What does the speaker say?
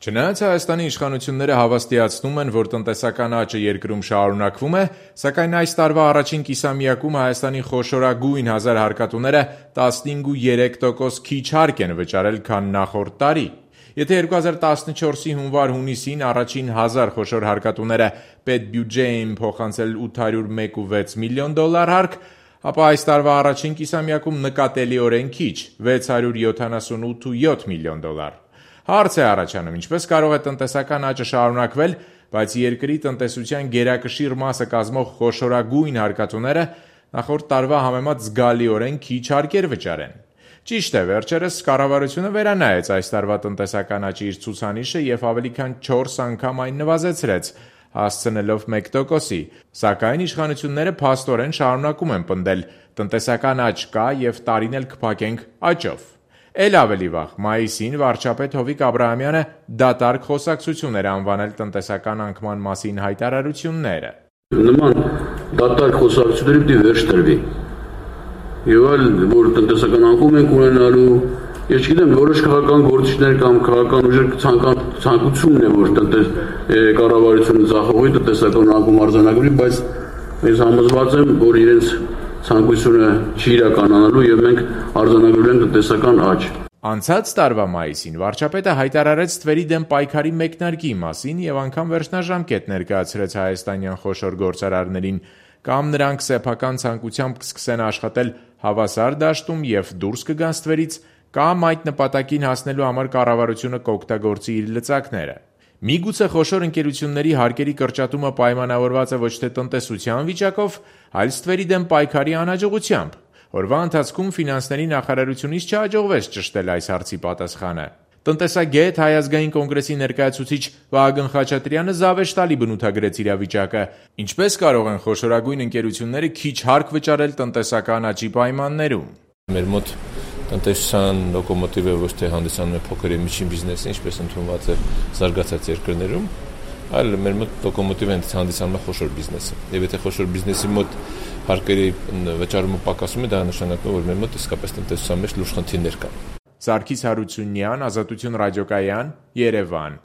Չնայած Հայաստանի իշխանությունները հավաստիացնում են, որ տնտեսական աճը երկրում շարունակվում է, սակայն այս տարվա առաջին կիսամյակում Հայաստանի խոշորագույն 1000 հարկատուները 15.3% քիչ հարկ են վճարել, քան նախորդ տարի։ Եթե 2014-ի հունվար-հունիսին առաջին 1000 խոշոր հարկատուները պետբյուջե էին փոխանցել $801.6 միլիոն հարկ, ապա այս տարվա առաջին կիսամյակում նկատելիորեն քիչ՝ $678.7 միլիոն։ Հարց է առաջանում, ինչպես կարող է տնտեսական աճը շարունակվել, բայց երկրի տնտեսության գերակշիռ մասը կազմող խոշորագույն հարկատուները նախորդ տարվա համեմատ զգալիորեն քիչ հարկեր վճարեն։ Ճիշտ է, վերջերս կառավարությունը վերանայեց այս տարվա տնտեսական աճի իր ցուցանիշը և ավելի քան 4 անգամ այն նվազեցրեց, հասցնելով 1%-ի, սակայն իշխանությունները փաստորեն շարունակում են պնդել՝ տնտեսական աճ կա և տարին էլ կփակենք աճով։ Էլ ավելի վաղ, մայիսին վարչապետ Հովիկ Աբրահամյանը դատարկ խոսակցություն էր անվանել տնտեսական անկման մասին հայտարարությունները։ Նման դատարկ խոսակցությունների պիտի վերջ տրվի։ Եվ այլ, որ տնտեսական անկում ենք ունենալու, ես չգիտեմ, որոշ քաղաքական գործիչներ կամ քաղաքական ուժեր ցանկությունն է, որ կառավարությունը ձախողի տնտեսական անկում արձանագրի, բայց ես համոզված եմ, որ իրենց ցանկությունը չի իրականանալու եւ մենք արձանագրել ենք տնտեսական աճ։ Անցած տարվա մայիսին վարչապետը հայտարարեց թվերի դեմ պայքարի մեկնարկի մասին եւ անգամ վերջնաժամկետ ներկայացրեց հայաստանյան խոշոր գործարարներին, կամ նրանք սեփական ցանկությամբ կսկսեն աշխատել հավասար դաշտում եւ դուրս կգան ստվերից, կամ այդ նպատակին հասնելու համար կառավարությունը կօգտագործի իր լծակները։ Միգուցե խոշոր ընկերությունների հարկերի կրճատումը պայմանավորված է ոչ թե տնտեսության վիճակով, այլ ստվերի դեմ պայքարի անհաջողությամբ։ Օրվա ընթացքում ֆինանսների նախարարությունից չհաջողվեց ճշտել այս հարցի պատասխանը։ Տնտեսագետ Հայ ազգային կոնգրեսի ներկայացուցիչ Վահագն Խաչատրյանը զավեշտալի բնութագրեց իրավիճակը։ Ինչպես կարող են խոշորագույն ընկերությունները քիչ հարկ վճարել տնտեսական աճի պայմաններում։ Մեր մոտ տնտեսության լոկոմոտիվը ոչ թե հանդիսանում է փոքր եւ միջին բիզնեսը, ինչպես ընդունված է զարգացած երկրներում, այլ մեր մոտ լոկոմոտիվը հանդիսանում է խոշոր բիզնեսը։ Եվ եթե խոշոր բիզնեսի մոտ հարկերի վճարումը պակասում է, դա նշանակում է, որ մեր մոտ իսկապես տնտեսության մեջ լուրջ խնդիրներ կան։ Սարգիս Հարությունյան, Ազատություն ռադիոկայան, Երևան։